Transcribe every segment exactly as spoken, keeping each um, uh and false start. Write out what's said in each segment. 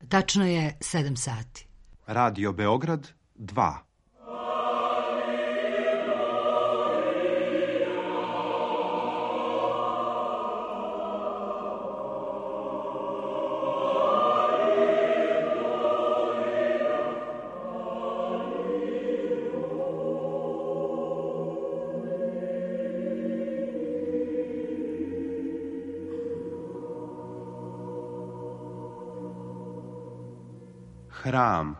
Tačno je sedam sati. Radio Beograd dva. Hram.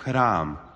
Hram.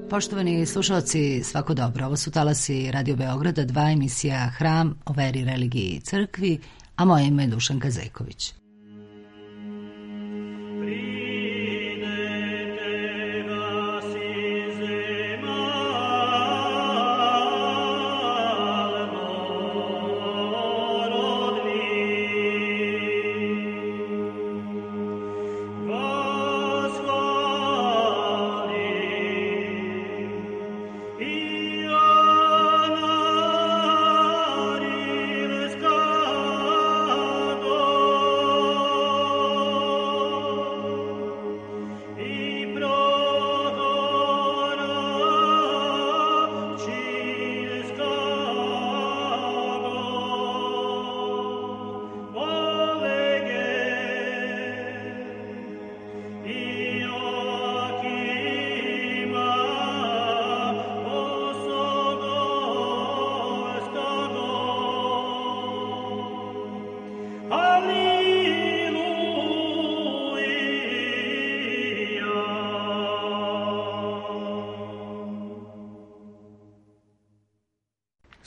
Poštovani slušalci, svako dobro. Ovo su talasi Radio Beograda, dva, emisija Hram o veri, religiji i crkvi, a moje ime je Dušanka Zeković.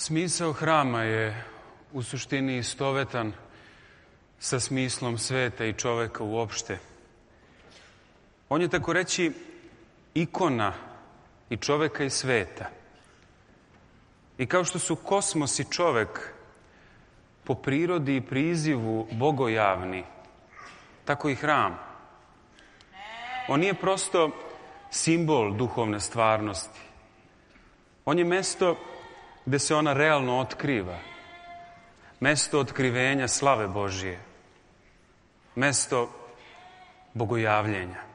Smisao hrama je u suštini istovetan sa smislom sveta i čoveka uopšte. On je, tako reći, ikona i čoveka i sveta. I kao što su kosmos i čovek po prirodi i prizivu bogojavni, tako i hram. On nije prosto simbol duhovne stvarnosti. On je mesto gde se ona realno otkriva. Mesto otkrivenja slave Božije. Mesto bogojavljenja.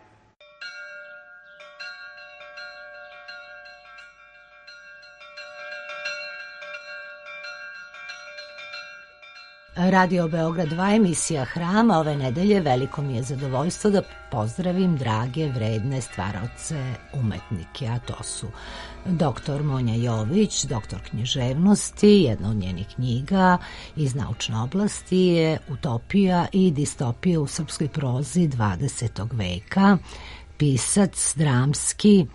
Radio Beograd dva, emisija Hrama. Ove nedelje veliko mi je zadovoljstvo da pozdravim drage, vredne stvaraoce, umetnike, a to su doktor Monja Jović, doktor književnosti. Jedna od njenih knjiga iz naučne oblasti je Utopija i distopija u srpskoj prozi dvadesetog veka. Pisac, dramski,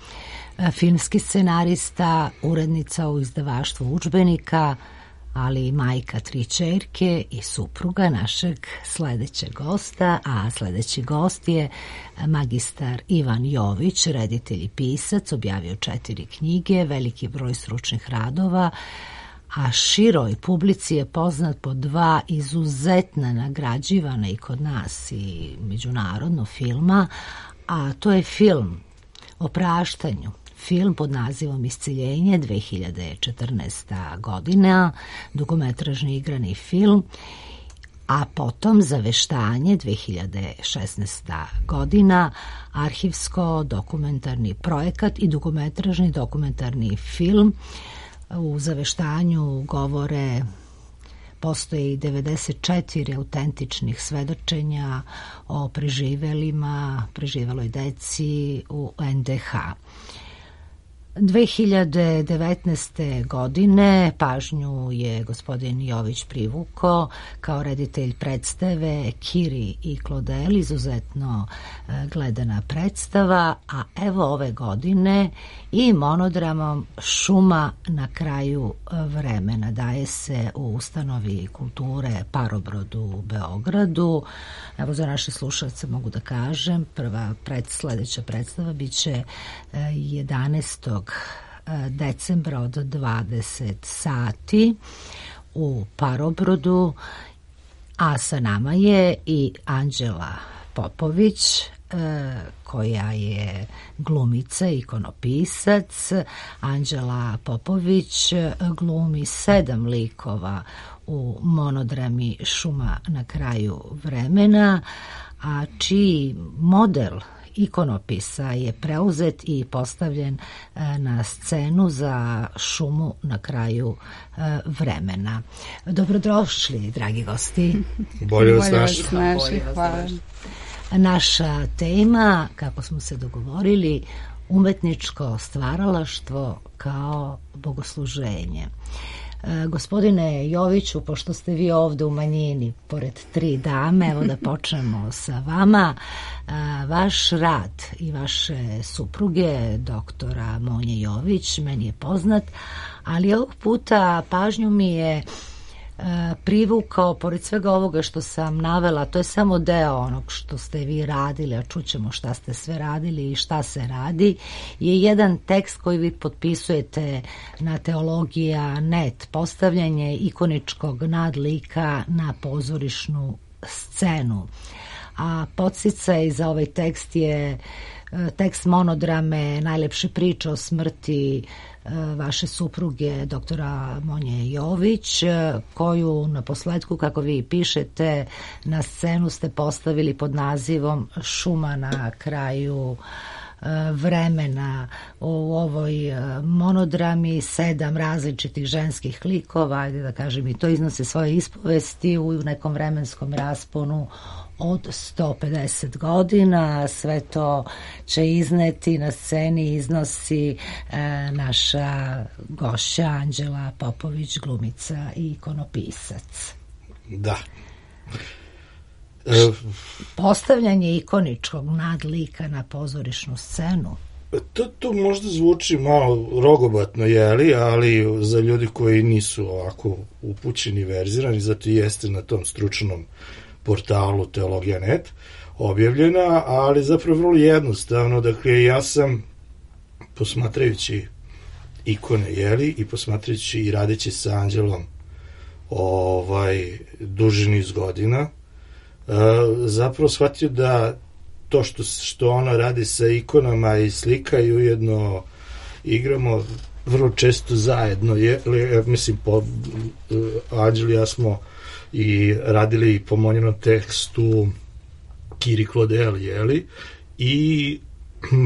filmski scenarista, urednica u izdavaštvu udžbenika, ali i majka tri ćerke i supruga našeg sledećeg gosta, a sledeći gost je magistar Ivan Jović, reditelj i pisac, objavio četiri knjige, veliki broj stručnih radova, a široj publici je poznat po dva izuzetna nagrađivana i kod nas i međunarodno filma, a to je film o praštanju, film pod nazivom Isceljenje, dve hiljade četrnaesta godina, dugometražni igrani film, a potom Zaveštanje dve hiljade šesnaesta godina, arhivsko-dokumentarni projekat i dugometražni dokumentarni film. U Zaveštanju govore postoji devedeset četiri autentičnih svedočenja o preživelima, preživeloj deci u en de ha. dve hiljade devetnaeste. godine pažnju je gospodin Jović privukao kao reditelj predstave Kiri i Klodel, izuzetno gledana predstava, a evo ove godine i monodramom Šuma na kraju vremena. Daje se u ustanovi kulture Parobrodu u Beogradu. Evo, za naše slušalce mogu da kažem, prva pred, sledeća predstava biće jedanaestog decembra od dvadeset sati u Parobrodu, a sa nama je i Anđela Popović, koja je glumica, ikonopisac. Anđela Popović glumi sedam likova u monodrami Šuma na kraju vremena, a čiji model ikonopisa je preuzet i postavljen na scenu za Šumu na kraju vremena. Dobrodošli, dragi gosti. Bolje vas našli. Hvala. Naša tema, kako smo se dogovorili, umetničko stvaralaštvo kao bogosluženje. Gospodine Joviću, pošto ste vi ovde u manjini, pored tri dame, evo da počnemo sa vama. Vaš rad i vaše supruge, doktora Monje Jović, meni je poznat, ali ovog puta pažnju mi je privukao, pored svega ovoga što sam navela, to je samo deo onog što ste vi radili, a čućemo šta ste sve radili i šta se radi, je jedan tekst koji vi potpisujete na Teologija punkt net, postavljanje ikoničkog nadlika na pozorišnu scenu. A podsticaj za ovaj tekst je tekst monodrame Najlepše priče o smrti vaše supruge, doktora Monje Jović, koju na posledku, kako vi pišete, na scenu ste postavili pod nazivom Šuma na kraju vremena. U ovoj monodrami sedam različitih ženskih likova, ajde da kažem, i to iznose svoje ispovesti u nekom vremenskom rasponu od sto pedeset godina. Sve to će izneti na sceni, iznosi e, naša gošća Anđela Popović, glumica i ikonopisac. Da. E, Postavljanje ikoničkog nadlika na pozorišnu scenu. To, to možda zvuči malo rogobatno, jeli, ali za ljudi koji nisu ovako upućeni, verzirani, zato i jeste na tom stručnom portalu Teologija punkt net objavljena, ali zapravo vrlo jednostavno. Dakle, ja sam, posmatrajući ikone, jeli, i posmatrajući i radeći sa Anđelom ovaj, duži niz godina, zapravo shvatio da to što, što ona radi sa ikonama i slika i ujedno igramo vrlo često zajedno, je, mislim, po Anđel i ja smo i radili po Monjenom tekstu Kiri Klodel, jeli, i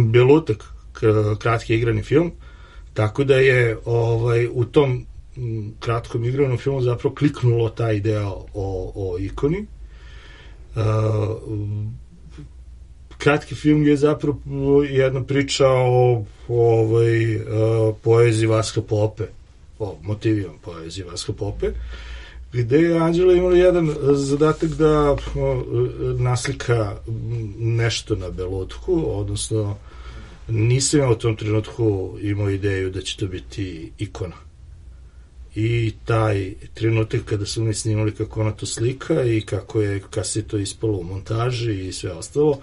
Belutak, kratki igrani film, tako da je ovaj, u tom kratkom igranom filmu zapravo kliknulo ta ideja o, o ikoni. Uh, kratki film je zapravo jedna priča o, o ovaj, uh, poeziji Vaska Pope, o motivima poeziji Vaska Pope, gde je Anđela imala jedan zadatak da naslika nešto na Belutku, odnosno nisam ja u tom trenutku imao ideju da će to biti ikona. I taj trenutak kada su mi snimali kako ona to slika i kako je kasnije to ispalo u montaži i sve ostalo,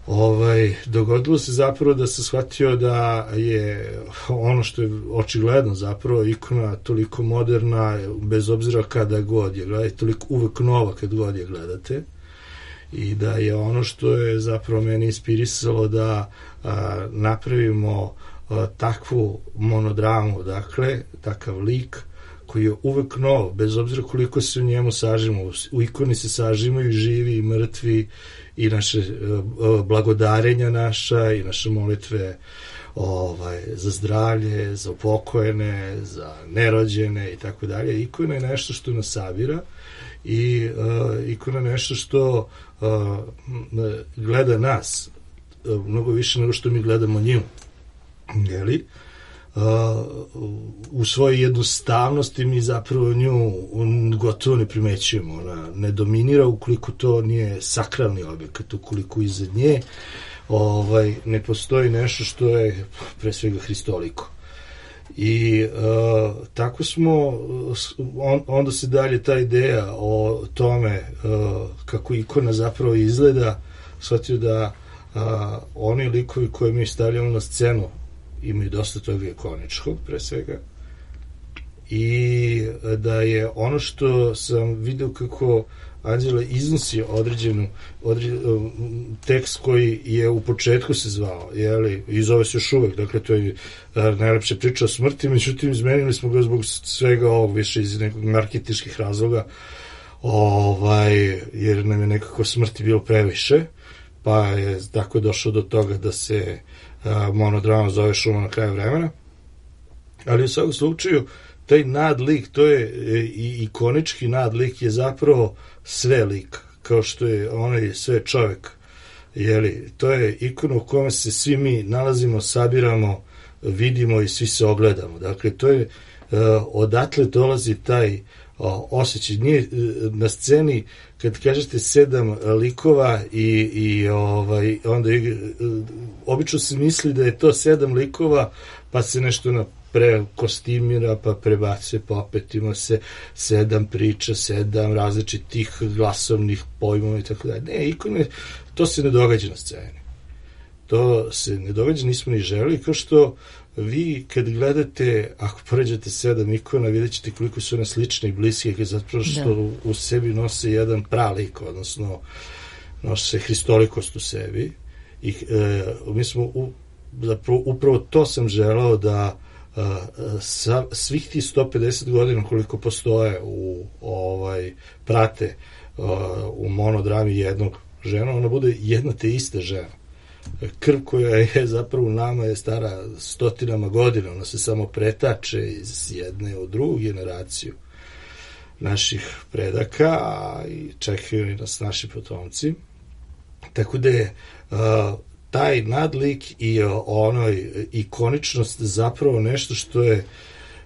ovaj, dogodilo se zapravo da sam shvatio da je ono što je očigledno zapravo ikona toliko moderna, bez obzira kada god je gledate, toliko uvek nova kad god je gledate, i da je ono što je zapravo meni inspirisalo da a, napravimo a, takvu monodramu, dakle, takav lik koji je uvek nov, bez obzira koliko se u njemu sažimo. U ikoni se sažimaju i živi i mrtvi i naše uh, blagodarenja naša i naše molitve ovaj, za zdravlje, za upokojene, za nerođene i tako dalje. Ikona je nešto što nas sabira i uh, ikona je nešto što uh, gleda nas uh, mnogo više nego što mi gledamo nju. Jeli? Uh, u svojoj jednostavnosti mi zapravo nju gotovo ne primećujemo. Ona ne dominira ukoliko to nije sakralni objekat, ukoliko iza nje ovaj, ne postoji nešto što je pre svega hristoliko. I uh, tako smo, on, onda se dalje ta ideja o tome uh, kako ikona zapravo izgleda, shvatio da uh, oni likovi koje mi stavljamo na scenu imaju dosta toga ikoničkog, pre svega, i da je ono što sam vidio kako Anđela iznosi određenu određen, tekst koji je u početku se zvao, jeli, i zove se još uvek, dakle to je najlepša priča o smrti, međutim izmenili smo ga zbog svega ovog, više iz nekog marketinških razloga, ovaj, jer nam je nekako smrti bilo previše, pa je tako došlo do toga da se monodrama zove Šuma na kraju vremena, ali u svakom slučaju taj nadlik, to je i ikonički nadlik, je zapravo sve lik, kao što je onaj sve čovjek, jeli, to je ikona u kome se svi mi nalazimo, sabiramo, vidimo i svi se ogledamo. Dakle, to je, odatle dolazi taj osjećaj. Nije na sceni, kad kažete sedam likova i, i ovaj, onda obično se misli da je to sedam likova, pa se nešto na pre kostimira, pa prebace, pa opet ima se sedam priča, sedam različitih glasovnih pojmova i tako dalje. Ne, ikone, to se ne događa na sceni. To se ne događa, nismo ni želeli, kao što vi kad gledate, ako poređate sedam ikona, vidjet ćete koliko su one slične i bliske, zato što da. U sebi nose jedan pralik, odnosno nose hristolikost u sebi. I e, mi smo, u, zapravo, upravo to sam želao da Uh, sa, svih tih sto pedeset godina koliko postoje u ovaj prate uh, u monodrami jednog žena, ona bude jedna te ista žena. Krv koja je zapravo u nama je stara stotinama godina, ona se samo pretače iz jedne u drugu generaciju naših predaka, a i čekaju nas naši potomci. Tako da je uh, taj nadlik i onoj ikoničnost zapravo nešto što je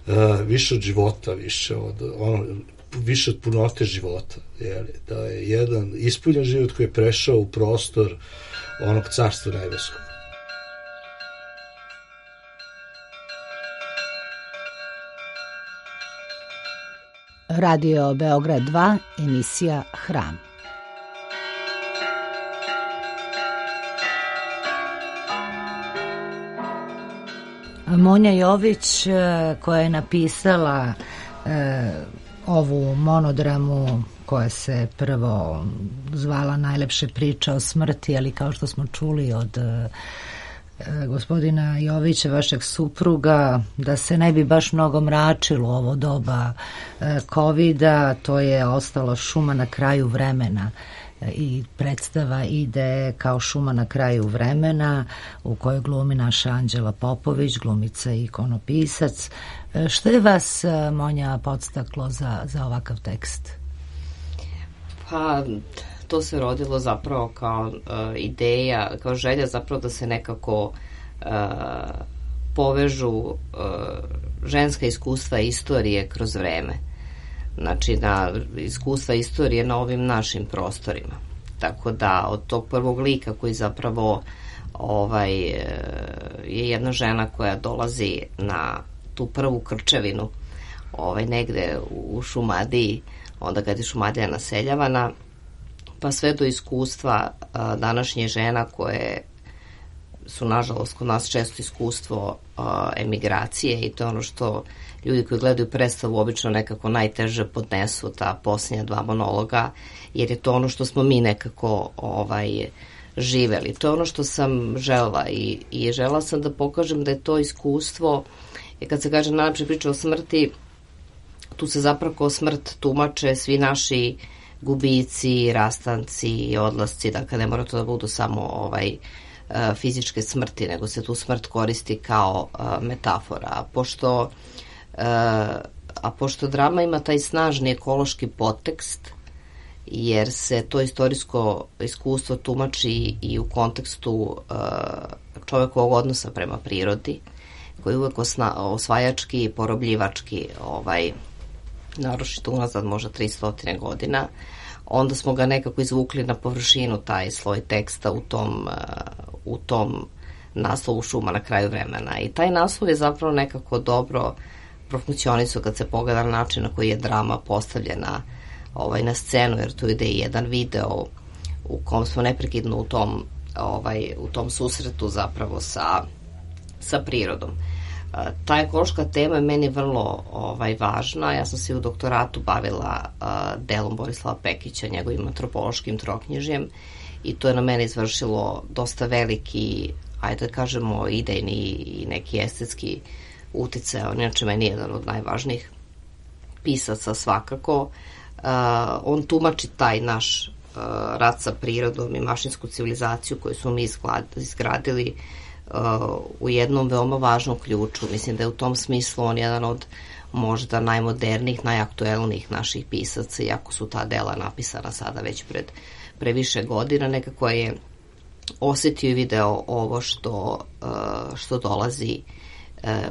uh, više od života, više od, ono, više od punote života. Jeli? Da je jedan ispunjen život koji je prešao u prostor onog carstva nebeskog. Radio Beograd dva, emisija Hram. Monja Jović, koja je napisala e, ovu monodramu koja se prvo zvala Najlepše priče o smrti, ali kao što smo čuli od e, gospodina Jovića, vašeg supruga, da se ne bi baš mnogo mračilo ovo doba e, kovida, to je ostalo Šuma na kraju vremena. I predstava ide kao Šuma na kraju vremena, u kojoj glumi naša Anđela Popović, glumica i ikonopisac. Što je vas, Monja, podstaklo za, za ovakav tekst? Pa, to se rodilo zapravo kao uh, ideja, kao želja zapravo da se nekako uh, povežu uh, ženska iskustva i istorije kroz vreme. Znači, na iskustva istorije na ovim našim prostorima. Tako da, od tog prvog lika koji zapravo ovaj, je jedna žena koja dolazi na tu prvu krčevinu ovaj, negde u Šumadiji, onda kad je Šumadija naseljavana, pa sve do iskustva a, današnje žena koje su, nažalost, kod nas često iskustvo a, emigracije, i to je ono što ljudi koji gledaju predstavu obično nekako najteže podnesu, ta posljednja dva monologa, jer je to ono što smo mi nekako ovaj, živeli. To je ono što sam želela i, i želela sam da pokažem da je to iskustvo, i kad se kaže najlepše priče o smrti, tu se zapravo kao smrt tumače svi naši gubici, rastanci, odlasci, dakle ne mora to da budu samo ovaj, fizičke smrti, nego se tu smrt koristi kao metafora. A pošto, a pošto drama ima taj snažni ekološki podtekst, jer se to istorijsko iskustvo tumači i u kontekstu čovekovog odnosa prema prirodi, koji je uvek osvajački i porobljivački, ovaj, naročito unazad možda tristo godina, onda smo ga nekako izvukli na površinu, taj sloj teksta u tom, u tom naslovu Šuma na kraju vremena. I taj naslov je zapravo nekako dobro profunkcionisao kad se pogleda na način na koji je drama postavljena ovaj, na scenu, jer tu ide i jedan video u kom smo neprekidno u tom, ovaj, u tom susretu zapravo sa, sa prirodom. Ta ekološka tema je meni vrlo ovaj, važna. Ja sam se u doktoratu bavila uh, delom Borislava Pekića, njegovim antropološkim troknjižjem, i to je na mene izvršilo dosta veliki, ajde da kažemo, idejni i neki estetski uticaj. On inače meni je jedan od najvažnijih pisaca svakako. Uh, on tumači taj naš uh, rat sa prirodom i mašinsku civilizaciju koju smo mi izgradili u jednom veoma važnom ključu. Mislim da je u tom smislu on jedan od možda najmodernijih, najaktuelnijih naših pisaca, iako su ta dela napisana sada već pred previše godina, nekako je osetio i video ovo što, što dolazi.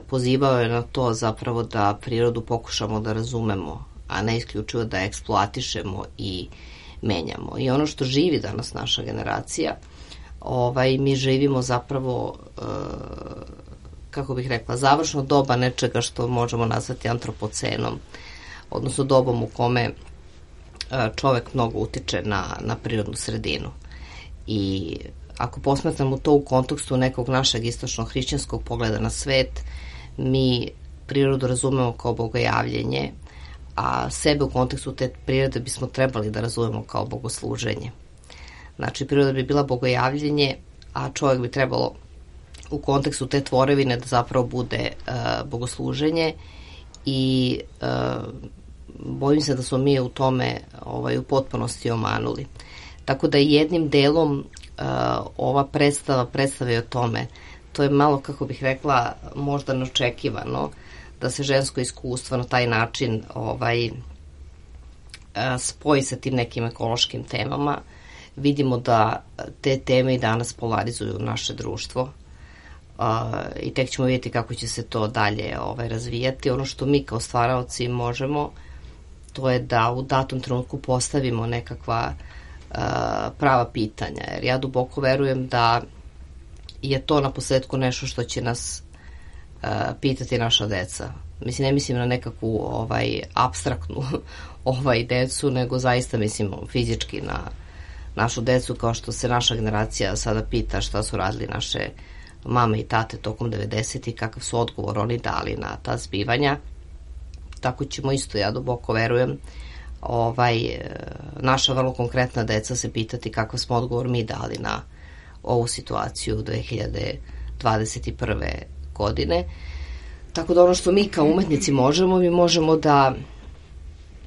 Pozivao je na to zapravo da prirodu pokušamo da razumemo, a ne isključivo da eksploatišemo i menjamo. I ono što živi danas naša generacija, Ovaj, mi živimo zapravo, e, kako bih rekla, završno doba nečega što možemo nazvati antropocenom, odnosno dobom u kome e, čovek mnogo utiče na, na prirodnu sredinu. I ako posmatramo to u kontekstu nekog našeg istočno-hrišćanskog pogleda na svet, mi prirodu razumemo kao bogojavljenje, a sebe u kontekstu te prirode bismo trebali da razumemo kao bogosluženje. Znači, priroda bi bila bogojavljenje, a čovjek bi trebalo u kontekstu te tvorevine da zapravo bude uh, bogosluženje, i uh, bojim se da smo mi u tome ovaj, u potpunosti omanuli. Tako da jednim delom uh, ova predstava predstava o tome. To je malo, kako bih rekla, možda neočekivano da se žensko iskustvo na taj način ovaj, uh, spoji sa tim nekim ekološkim temama. Vidimo da te teme i danas polarizuju naše društvo, uh, i tek ćemo vidjeti kako će se to dalje ovaj, razvijati. Ono što mi kao stvaraoci možemo, to je da u datom trenutku postavimo nekakva uh, prava pitanja, jer ja duboko verujem da je to na posledku nešto što će nas uh, pitati naša deca. Mislim, ne mislim na nekakvu ovaj, apstraktnu ovaj, decu, nego zaista mislim fizički na našu decu, kao što se naša generacija sada pita šta su radili naše mame i tate tokom devedesetih, kakav su odgovor oni dali na ta zbivanja. Tako ćemo isto, ja duboko verujem, ovaj, naša vrlo konkretna deca se pitati kakav smo odgovor mi dali na ovu situaciju dve hiljade dvadeset prve. godine. Tako da ono što mi kao umetnici možemo, mi možemo da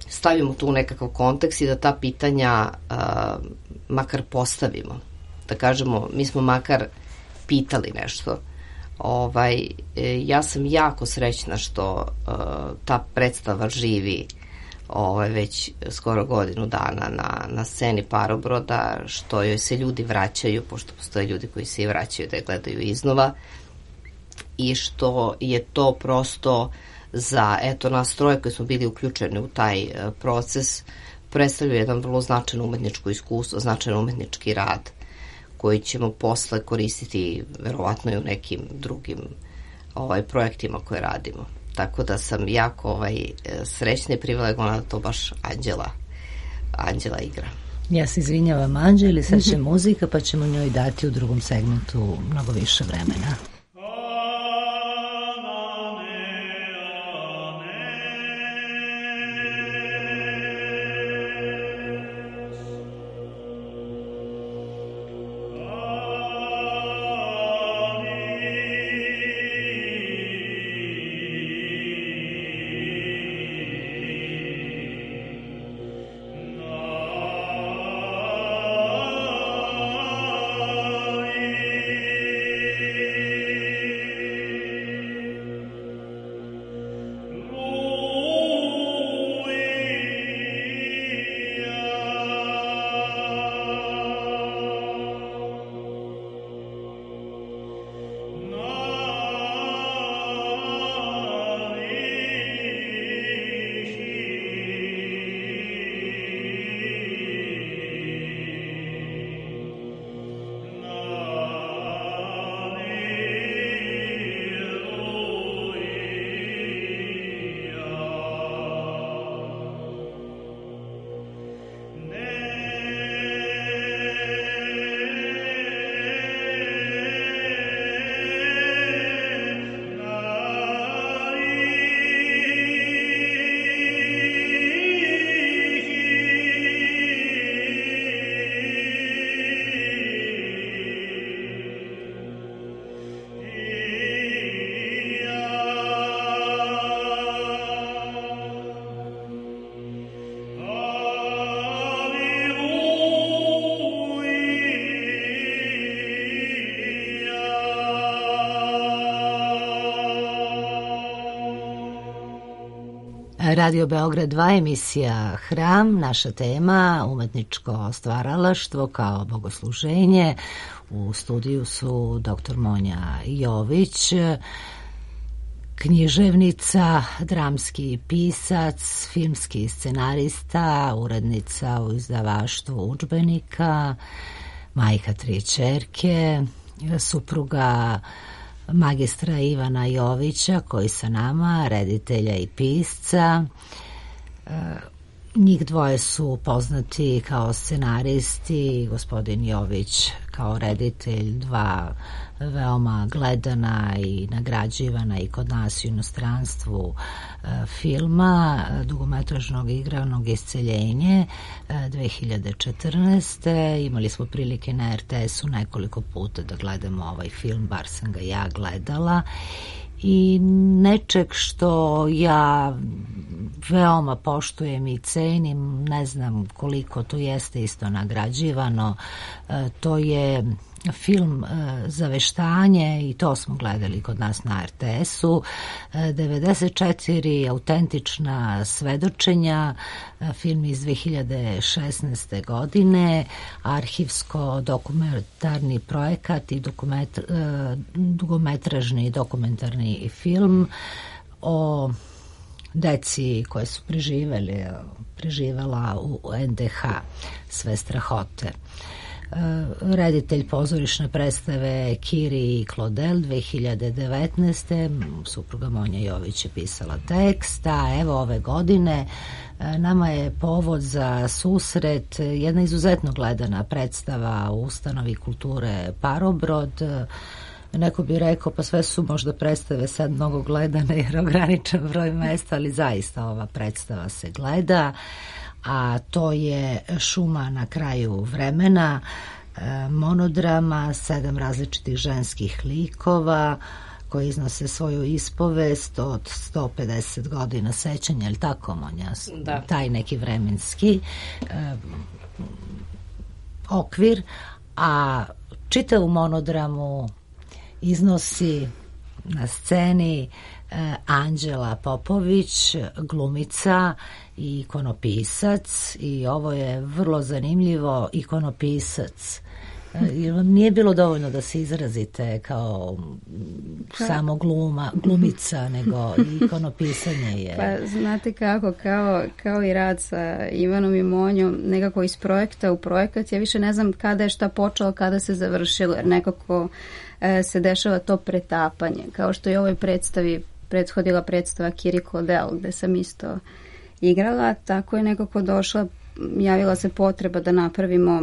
stavimo tu u nekakav kontekst i da ta pitanja uh, makar postavimo. Da kažemo, mi smo makar pitali nešto. Ovaj, ja sam jako srećna što uh, ta predstava živi ovaj, već skoro godinu dana na, na sceni Parobroda, što joj se ljudi vraćaju, pošto postoje ljudi koji se i vraćaju da je gledaju iznova, i što je to prosto za, eto, nas troje koji smo bili uključeni u taj uh, proces, predstavlja jedan vrlo značajno umetničko iskustvo, značajan umetnički rad koji ćemo posle koristiti verovatno i u nekim drugim ovaj, projektima koje radimo. Tako da sam jako ovaj, srećna i privilegovana da to baš Anđela, Anđela igra. Ja se izvinjavam Anđeli, sad će muzika pa ćemo njoj dati u drugom segmentu mnogo više vremena. Radio Beograd dva, emisija Hram, naša tema umetničko stvaralaštvo kao bogosluženje. U studiju su doktor Monja Jović, književnica, dramski pisac, filmski scenarista, urednica u izdavaštvu udžbenika, majka tri ćerke, supruga magistra Ivana Jovića, koji sa nama, reditelja i pisca. Njih dvoje su poznati kao scenaristi, gospodin Jović kao reditelj dva veoma gledana i nagrađivana i kod nas u inostranstvu filma dugometražnog igranog Isceljenje dve hiljade četrnaeste. Imali smo prilike na er te esu nekoliko puta da gledamo ovaj film, bar sam ga ja gledala, i nečeg što ja veoma poštujem i cenim, ne znam koliko to jeste isto nagrađivano, to je film Zaveštanje, i to smo gledali kod nas na er te esu. devedeset četiri autentična svedočenja, film iz dve hiljade šesnaeste. godine, arhivsko-dokumentarni projekat i dokument, dugometražni dokumentarni film o deci koje su preživeli, preživela u en de ha, sve strahote. Reditelj pozorišne predstave Kiri i Klodel dve hiljade devetnaeste. Supruga Monja Jović je pisala tekst, a evo ove godine nama je povod za susret jedna izuzetno gledana predstava u ustanovi kulture Parobrod. Neko bi rekao, pa sve su možda predstave sad mnogo gledane jer ograničen broj mesta, ali zaista ova predstava se gleda, a to je Šuma na kraju vremena, monodrama, sedam različitih ženskih likova koji iznose svoju ispovest od sto pedeset godina sećanja, ili tako, Monja? Da. Taj neki vremenski eh, okvir, a čitavu monodramu iznosi na sceni eh, Anđela Popović, glumica i ikonopisac, i ovo je vrlo zanimljivo, ikonopisac. Jer vam nije bilo dovoljno da se izrazite kao pa, samo gluma, glumica, nego i ikonopisanje je... Pa znate kako, kao, kao i rad sa Ivanom i Monjom, nekako iz projekta u projekat, ja više ne znam kada je šta počelo, kada se završilo, jer nekako e, se dešava to pretapanje, kao što je ovoj predstavi prethodila predstava Kiri Klodel, gde sam isto igrala, tako je nekako došla, javila se potreba da napravimo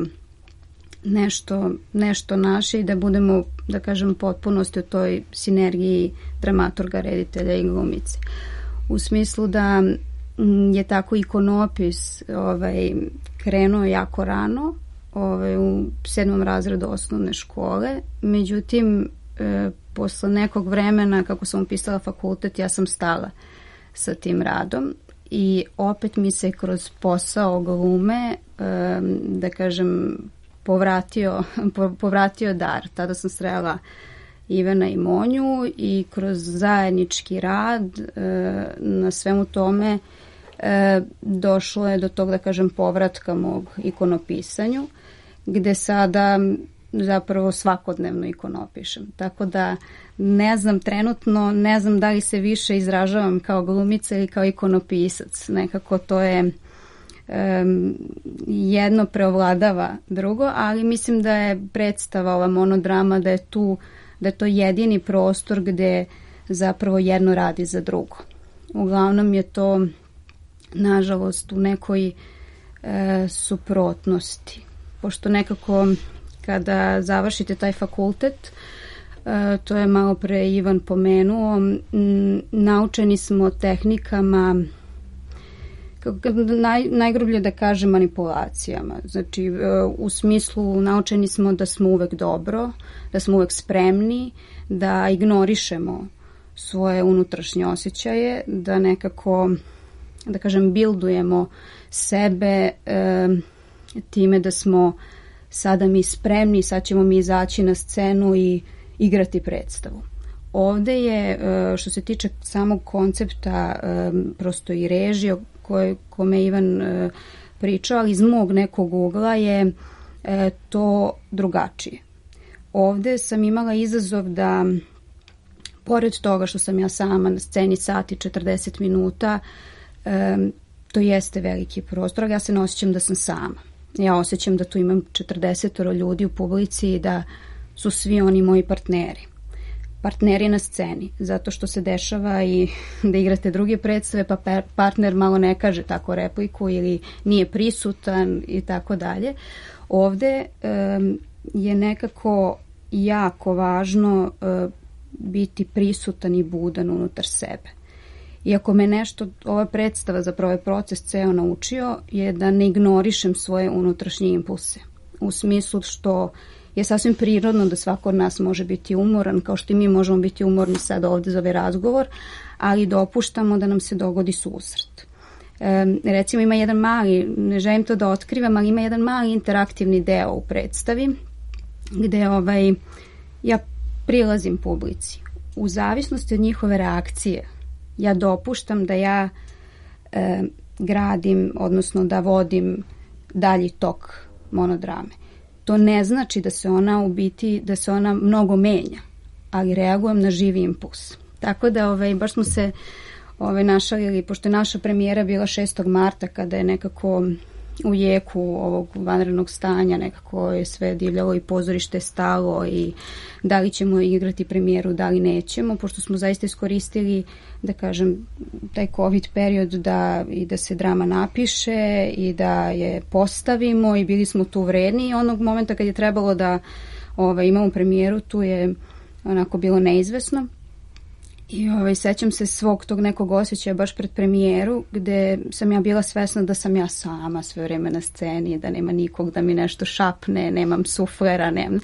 nešto, nešto naše i da budemo, da kažem, potpunosti u toj sinergiji dramaturga, reditelja i glumice. U smislu da je tako ikonopis ovaj, krenuo jako rano, ovaj, u sedmom razredu osnovne škole, međutim e, posle nekog vremena kako sam upisala fakultet, ja sam stala sa tim radom i opet mi se kroz posao glume, e, da kažem, povratio, povratio dar. Tada sam srela Ivana i Monju i kroz zajednički rad e, na svemu tome e, došlo je do tog, da kažem, povratka mog ikonopisanju, gde sada zapravo svakodnevno ikonopišem. Tako da ne znam trenutno, ne znam da li se više izražavam kao glumica ili kao ikonopisac. Nekako to je Um, jedno preovladava drugo, ali mislim da je predstava, ova monodrama, da je tu, da je to jedini prostor gde zapravo jedno radi za drugo. Uglavnom je to, nažalost, u nekoj e, suprotnosti. Pošto nekako kada završite taj fakultet, e, to je malo pre Ivan pomenuo, m, naučeni smo tehnikama, Naj, najgrublje da kažem, manipulacijama. Znači, u smislu naučeni smo da smo uvek dobro, da smo uvek spremni, da ignorišemo svoje unutrašnje osjećaje, da nekako, da kažem, bildujemo sebe e, time da smo sada mi spremni, sad ćemo mi izaći na scenu i igrati predstavu. ovde je, što se tiče samog koncepta, prosto i režije koje, kome Ivan pričao, ali iz mog nekog ugla je to drugačije. Ovde sam imala izazov da, pored toga što sam ja sama na sceni sat i četrdeset minuta, to jeste veliki prostor, ali ja se ne osjećam da sam sama. Ja osjećam da tu imam četrdeset ljudi u publici i da su svi oni moji partneri. Partneri na sceni, zato što se dešava i da igrate druge predstave, pa partner malo ne kaže tako repliku ili nije prisutan i tako dalje. Ovde um, je nekako jako važno uh, biti prisutan i budan unutar sebe. Iako me nešto, ova predstava, zapravo je proces ceo naučio, je da ne ignorišem svoje unutrašnje impulse. U smislu što je sasvim prirodno da svako od nas može biti umoran, kao što i mi možemo biti umorni sad ovde za ovaj razgovor, ali dopuštamo da nam se dogodi susret. E, recimo ima jedan mali, ne želim to da otkrivam, ali ima jedan mali interaktivni deo u predstavi, gde ovaj, ja prilazim publici. U zavisnosti od njihove reakcije, ja dopuštam da ja e, gradim, odnosno da vodim dalji tok monodrame. To ne znači da se ona u biti, da se ona mnogo menja, ali reagujem na živi impuls. Tako da ovaj, baš smo se ovaj, našalili, pošto je naša premijera bila šestog marta, kada je nekako u jeku ovog vanrednog stanja, nekako je sve divljalo i pozorište stalo i da li ćemo igrati premijeru, da li nećemo, pošto smo zaista iskoristili, da kažem, taj COVID period da, i da se drama napiše i da je postavimo i bili smo tu vredni i onog momenta kad je trebalo da ovaj, imamo premijeru, tu je onako bilo neizvesno. I ovaj, sećam se svog tog nekog osjećaja baš pred premijeru gde sam ja bila svesna da sam ja sama sve vreme na sceni, da nema nikog da mi nešto šapne, nemam suflera, nemam.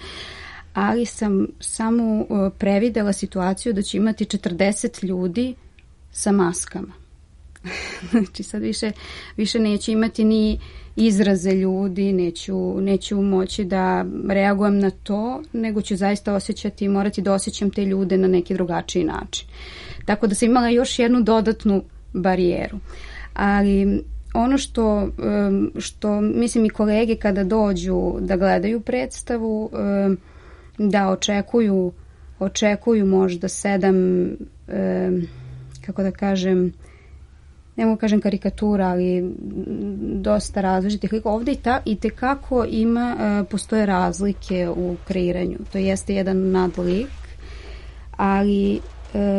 Ali sam samo previdela situaciju da će imati četrdeset ljudi sa maskama. Znači sad više, više neću imati ni izraze ljudi, neću, neću moći da reagujem na to, nego ću zaista osjećati i morati da osjećam te ljude na neki drugačiji način. Tako da sam imala još jednu dodatnu barijeru. Ali ono što, što mislim i kolege kada dođu da gledaju predstavu, da očekuju, očekuju možda sedam, kako da kažem, ne mogu kažem karikatura, ali dosta različitih lika. Ovde i, ta, i tekako ima, postoje razlike u kreiranju. To jeste jedan nadlik, ali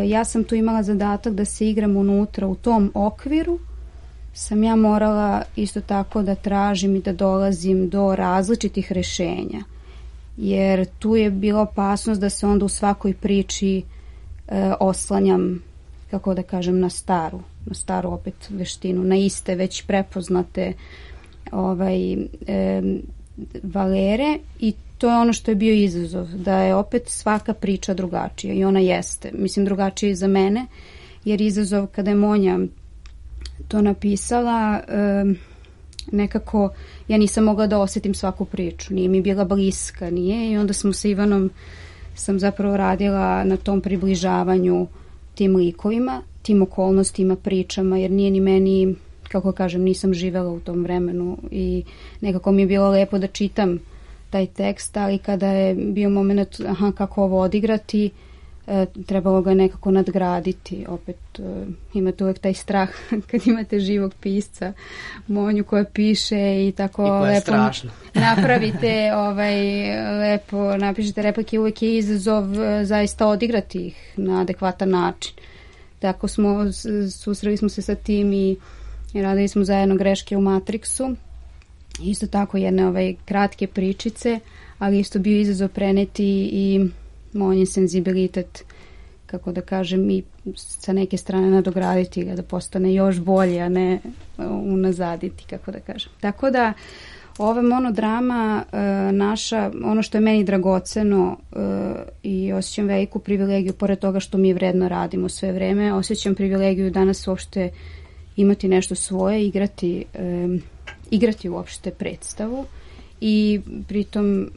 ja sam tu imala zadatak da se igram unutra u tom okviru. Sam ja morala isto tako da tražim i da dolazim do različitih rešenja. Jer tu je bila opasnost da se onda u svakoj priči e, oslanjam, kako da kažem, na staru, na staru opet veštinu, na iste već prepoznate ovaj, e, valere i to je ono što je bio izazov, da je opet svaka priča drugačija i ona jeste. Mislim, drugačija i za mene, jer izazov kada je Monja to napisala, e, nekako ja nisam mogla da osjetim svaku priču, nije mi bila bliska, nije, i onda smo sa Ivanom, sam zapravo radila na tom približavanju tim likovima, tim okolnostima, pričama, jer nije ni meni, kako kažem, nisam živela u tom vremenu i nekako mi je bilo lepo da čitam taj tekst, ali kada je bio moment, aha, kako ovo odigrati, e, trebalo ga nekako nadgraditi. Opet e, imate uvek taj strah kad imate živog pisca, Monju koja piše i tako I lepo strašno. napravite, ovaj, lepo napišete replike, uvek je izazov e, zaista odigrati ih na adekvatan način. Tako smo, susreli smo se sa tim i radili smo zajedno Greške u Matrixu. Isto tako jedne ovaj, kratke pričice, ali isto bio izazov preneti i Monjin senzibilitet, kako da kažem, i sa neke strane nadograditi ga da postane još bolje, a ne unazaditi, kako da kažem. Tako da ova monodrama e, naša, ono što je meni dragoceno e, i osjećam veliku privilegiju, pored toga što mi vredno radimo sve vreme, osjećam privilegiju danas uopšte imati nešto svoje, igrati, e, igrati uopšte predstavu i pritom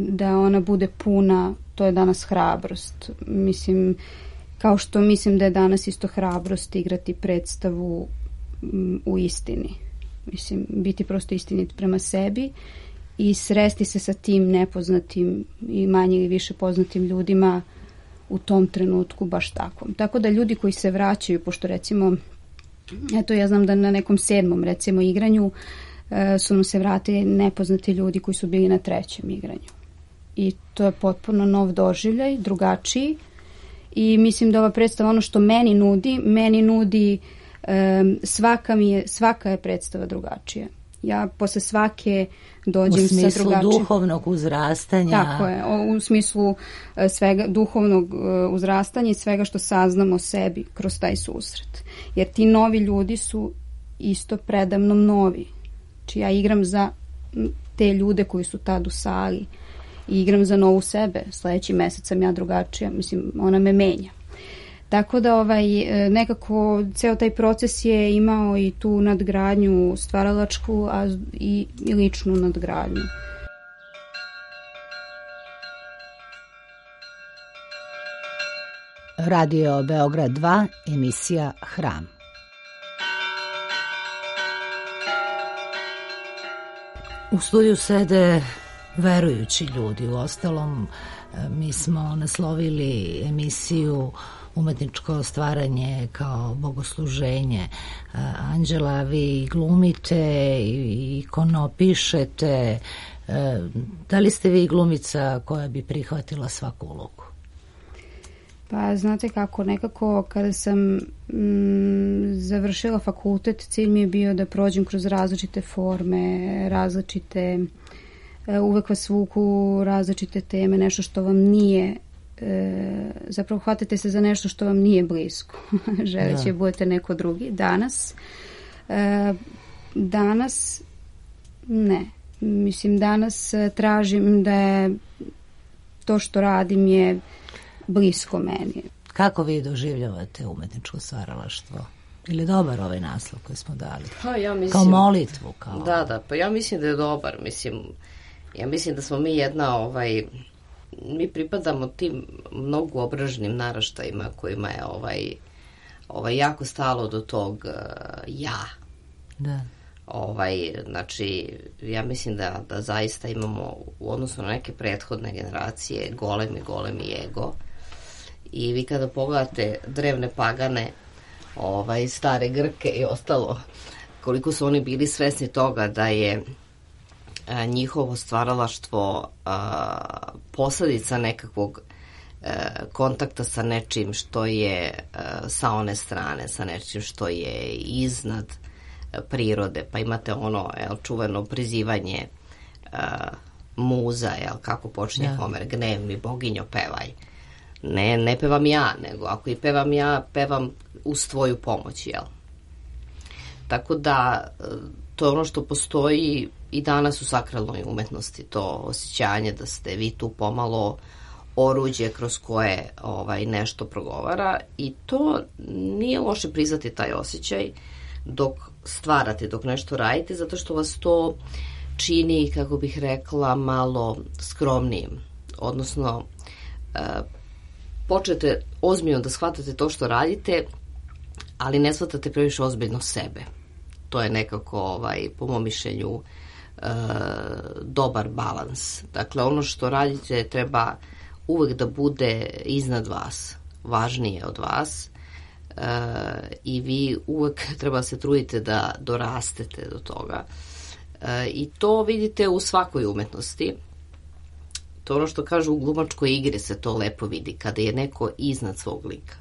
da ona bude puna to je danas hrabrost. Mislim, kao što mislim da je danas isto hrabrost igrati predstavu m, u istini. Mislim, biti prosto istinit prema sebi i sresti se sa tim nepoznatim i manje ili više poznatim ljudima u tom trenutku baš tako. Tako da ljudi koji se vraćaju, pošto recimo, eto ja znam da na nekom sedmom recimo igranju e, su nam se vratili nepoznati ljudi koji su bili na trećem igranju. I to je potpuno nov doživljaj, drugačiji. I mislim da ova predstava, ono što meni nudi, meni nudi e, svaka, mi je, svaka je predstava drugačija. Ja posle svake dođem sa drugačijim... U smislu duhovnog uzrastanja. Tako je, u smislu svega duhovnog uzrastanja i svega što saznamo o sebi kroz taj susret. Jer ti novi ljudi su isto predamnom novi. Znači ja igram za te ljude koji su tad u sali i igram za novu sebe. Sljedeći mesec sam ja drugačija, mislim, ona me menja. Tako da ovaj, nekako ceo taj proces je imao i tu nadgradnju stvaralačku, a i, i ličnu nadgradnju. Radio Beograd dva, emisija Hram. U studiju sede verujući ljudi. Uostalom, mi smo naslovili emisiju Umetničko stvaranje kao bogosluženje. Anđela, vi glumite i ikonopišete. Da li ste vi glumica koja bi prihvatila svaku ulogu? Pa znate kako, nekako kada sam mm, završila fakultet, cilj mi je bio da prođem kroz različite forme, različite, uvek vas vuku različite teme, nešto što vam nije, e, zapravo hvatate se za nešto što vam nije blisko, želeći da budete neko drugi. Danas, e, danas ne, mislim danas tražim da je to što radim je blisko meni. Kako vi doživljavate umetničko stvaralaštvo? Ili dobar ovaj naslov koji smo dali? Pa ja mislim, kao molitvu? Kao... Da, da, pa ja mislim da je dobar. Mislim, ja mislim da smo mi jedna, ovaj, mi pripadamo tim mnogo obraženim naraštajima kojima je ovaj, ovaj jako stalo do tog uh, ja. Da. Ovaj, znači, ja mislim da, da zaista imamo u odnosu na neke prethodne generacije golemi, golemi ego. I vi kada pogledate drevne pagane, ovaj, stare Grke i ostalo, koliko su oni bili svesni toga da je a, njihovo stvaralaštvo a, posledica nekakvog a, kontakta sa nečim što je a, sa one strane, sa nečim što je iznad prirode, pa imate ono jel, čuveno prizivanje uh, muza, jel, kako počinje ja. Homer, gnev mi boginjo pevaj. Ne, ne pevam ja, nego ako i pevam ja, pevam uz tvoju pomoć, jel. Tako da to je ono što postoji i danas u sakralnoj umetnosti, to osjećanje da ste vi tu pomalo oruđe kroz koje ovaj, nešto progovara i to nije loše priznati taj osjećaj dok stvarate, dok nešto radite, zato što vas to čini, kako bih rekla, malo skromnijim. Odnosno, e, počete ozbiljno da shvatate to što radite, ali ne shvatate previše ozbiljno sebe. To je nekako, ovaj, po mom mišljenju, e, dobar balans. Dakle, ono što radite treba uvek da bude iznad vas, važnije od vas, Uh, i vi uvek treba se trudite da dorastete do toga. Uh, I to vidite u svakoj umetnosti. To ono što kažu u glumačkoj igri se to lepo vidi, kada je neko iznad svog lika.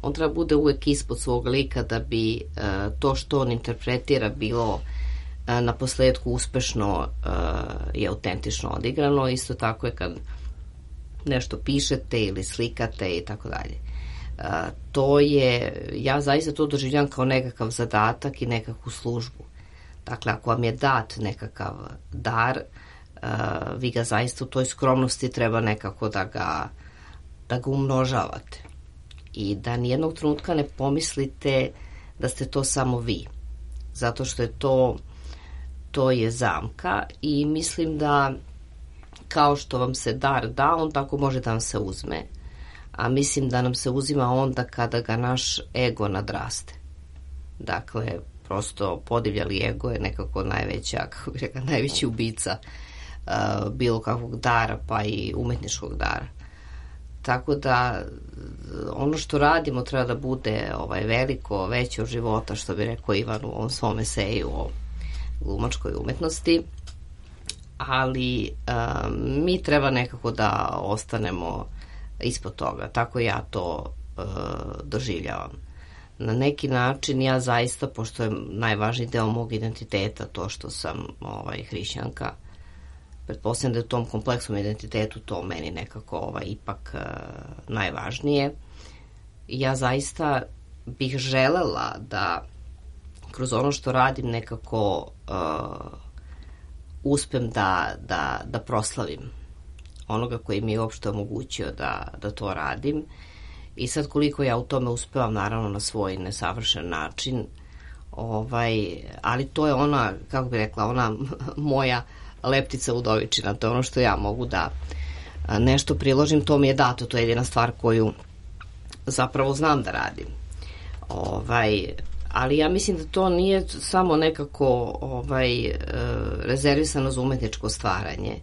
On treba bude uvek ispod svog lika da bi uh, to što on interpretira bilo uh, na posledku uspešno uh, i autentično odigrano. Isto tako je kad nešto pišete ili slikate i tako dalje. Uh, to je, ja zaista to doživljam kao nekakav zadatak i nekakvu službu. Dakle, ako vam je dat nekakav dar, uh, vi ga zaista u toj skromnosti treba nekako da ga, da ga umnožavate. I da nijednog trenutka ne pomislite da ste to samo vi. Zato što je to, to je zamka i mislim da kao što vam se dar da, on tako može da vam se uzme. A mislim da nam se uzima onda kada ga naš ego nadraste. Dakle, prosto podivljali ego je nekako najveća, kako bih rekla, najveći ubica uh, bilo kakvog dara, pa i umetničkog dara. Tako da ono što radimo treba da bude ovaj, veliko, veće od života, što bi rekao Ivan u ovom svom eseju o glumačkoj umetnosti. Ali um, mi treba nekako da ostanemo ispod toga. Tako ja to uh, doživljavam. Na neki način ja zaista, pošto je najvažniji deo mog identiteta to što sam ovaj, hrišćanka, pretpostavljam da je u tom kompleksnom identitetu to meni nekako ovaj, ipak uh, najvažnije. Ja zaista bih želela da kroz ono što radim nekako uh, uspem da, da, da proslavim onoga koji mi je uopšte omogućio da, da to radim. I sad koliko ja u tome uspevam, naravno na svoj nesavršen način, ovaj, ali to je ona, kako bih rekla, ona moja leptica udovičina, to je ono što ja mogu da nešto priložim, to mi je dato, to je jedina stvar koju zapravo znam da radim. Ovaj, ali ja mislim da to nije samo nekako ovaj, rezervisano za umetničko stvaranje.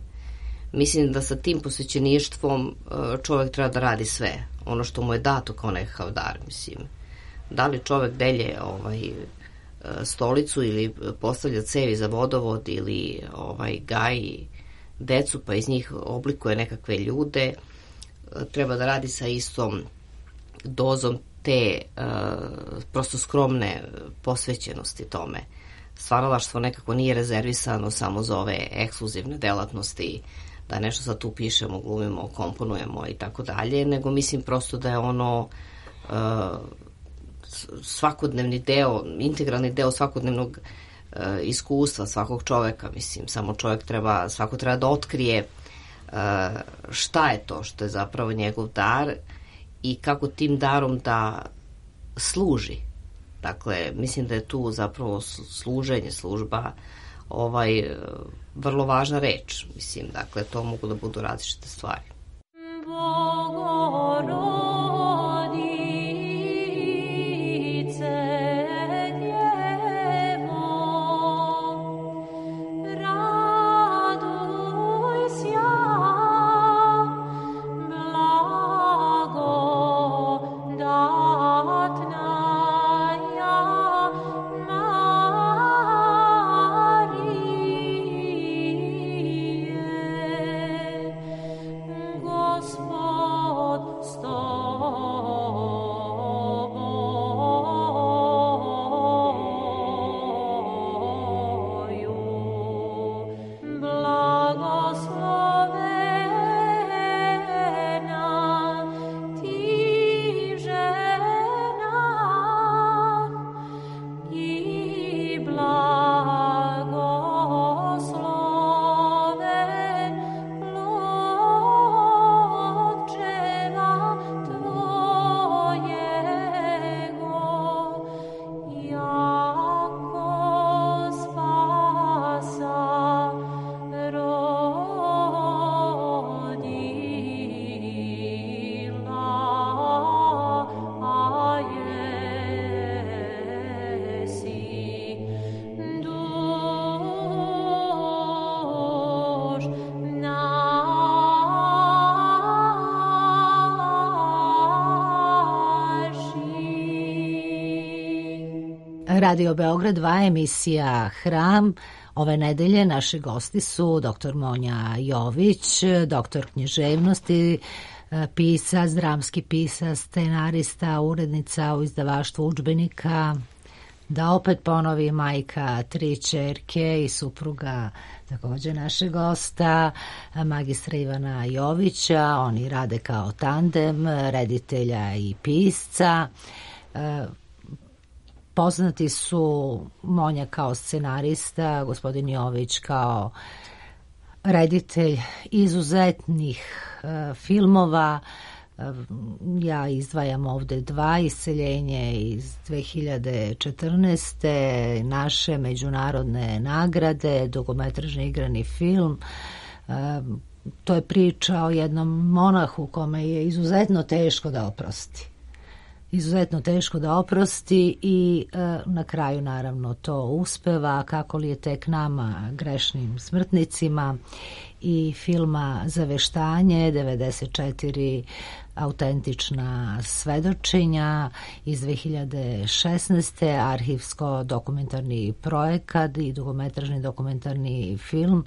Mislim da sa tim posvećeništvom čovek treba da radi sve, ono što mu je dato kao nekakav dar, mislim. Da li čovek delje ovaj, stolicu ili postavlja cevi za vodovod ili ovaj, gaji decu pa iz njih oblikuje nekakve ljude, treba da radi sa istom dozom te uh, prosto skromne posvećenosti tome. Stvaralaštvo nekako nije rezervisano samo za ove ekskluzivne delatnosti, da nešto sad tu pišemo, glumimo, komponujemo i tako dalje, nego mislim prosto da je ono uh, svakodnevni deo, integralni deo svakodnevnog uh, iskustva svakog čoveka, mislim, samo čovek treba, svako treba da otkrije uh, šta je to što je zapravo njegov dar i kako tim darom da služi. Dakle, mislim da je tu zapravo služenje, služba ovaj, vrlo važna reč. Mislim, dakle, to mogu da budu različite stvari. Radio Beograd dva, emisija Hram. Ove nedelje naši gosti su doktor Monja Jović, doktor književnosti, pisac, dramski pisac, scenarista, urednica u izdavaštvu udžbenika, da opet ponovi majka tri ćerke i supruga takođe našeg gosta, magistra Ivana Jovića. Oni rade kao tandem reditelja i pisca. Poznati su Monja kao scenarista, gospodin Jović kao reditelj izuzetnih e, filmova. E, ja izdvajam ovde dva: Iseljenje iz dve hiljade četrnaeste. naše međunarodne nagrade, dugometražni igrani film. E, to je priča o jednom monahu kome je izuzetno teško da oprosti. Izuzetno teško da oprosti i e, na kraju naravno to uspeva, kako li je tek nama, grešnim smrtnicima, i filma Zaveštanje, devedeset četiri autentična svedočenja iz dve hiljade šesnaeste. arhivsko-dokumentarni projekat i dugometražni dokumentarni film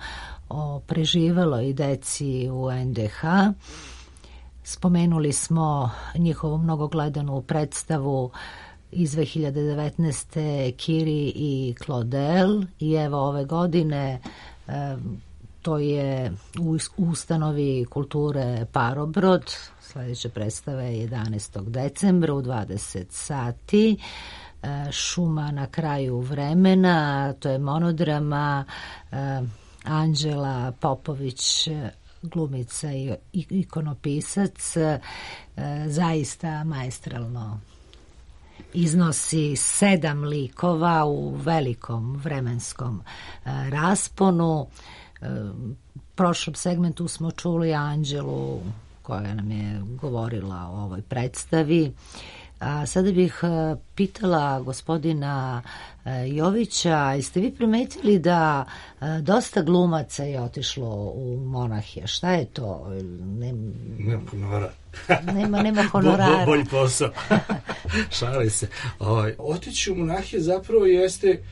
o preživeloj deci u en de ha. Spomenuli smo njihovu mnogogledanu predstavu iz dve hiljade devetnaeste. Kiri i Claudel, i evo ove godine e, to je u ustanovi kulture Parobrod. Sljedeća predstava je jedanaestog decembra u dvadeset sati. E, Šuma na kraju vremena, to je monodrama. e, Anđela Popović, glumica i ikonopisac, e, zaista maestralno iznosi sedam likova u velikom vremenskom e, rasponu. E, u prošlom segmentu smo čuli Anđelu koja nam je govorila o ovoj predstavi. A sada bih pitala gospodina Jovića, jeste vi primetili da dosta glumaca je otišlo u monahije? Šta je to? Nem... Nema honorara. nema, nema honorara. Bo, bolji posao. Šali se. O, otići u monahije zapravo jeste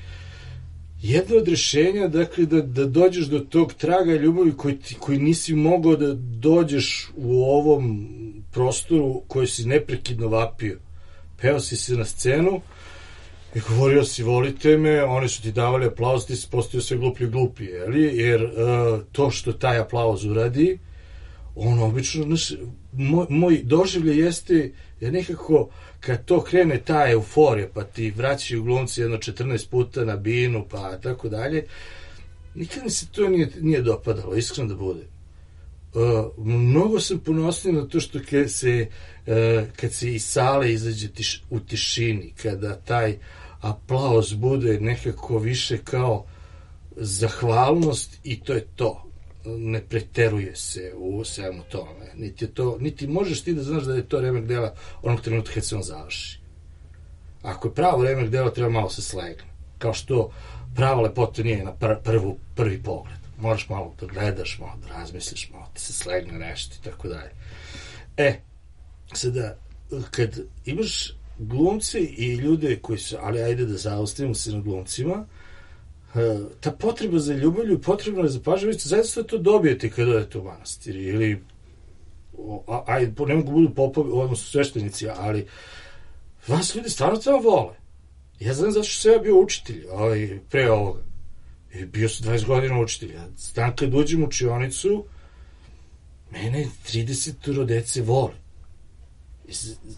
jedno od rješenja, dakle, da, da dođeš do tog traga ljubavi koji, ti, koji nisi mogao da dođeš u ovom prostoru koji si neprekidno vapio. Peo si se na scenu i govorio si volite me, oni su ti davali aplauz, ti si postao sve gluplji i glupi, jeli? Jer uh, to što taj aplauz uradi, on obično, znaš, moj, moj doživlje jeste, ja nekako, kad to krene ta euforija, pa ti vraćaju glumci jedno četrnaest puta na binu, pa tako dalje, nikad mi se to nije, nije dopadalo, iskreno da bude. Uh, mnogo sam ponosniji na to što kad se, uh, kad se iz sale izađe tiš, u tišini, kada taj aplauz bude nekako više kao zahvalnost i to je to. Ne preteruje se u svemu tome. Niti, to, niti možeš ti da znaš da je to remek dela onog trenutka kad se on završi. Ako je pravo remek dela, treba malo se slegne. Kao što prava lepota nije na pr prvu, prvi pogled. Moraš malo da gledaš, malo da razmisliš, malo da se slegne nešto i tako dalje. E, sada, kad imaš glumce i ljude koji su, ali ajde da zaustavimo se na glumcima, ta potreba za ljubavlju, potrebna je za pažnjovicu, zaista to dobijete kada odete u manastir, ili ajde, ne mogu budu popovi, odnosno sveštenici, ali vas ljudi stvarno tamo vole. Ja znam zato što sam ja bio učitelj ovaj, pre ovoga. I bio sam dvadeset godina učitelj. Ja znam kad uđem u učionicu, mene trideset dece vole.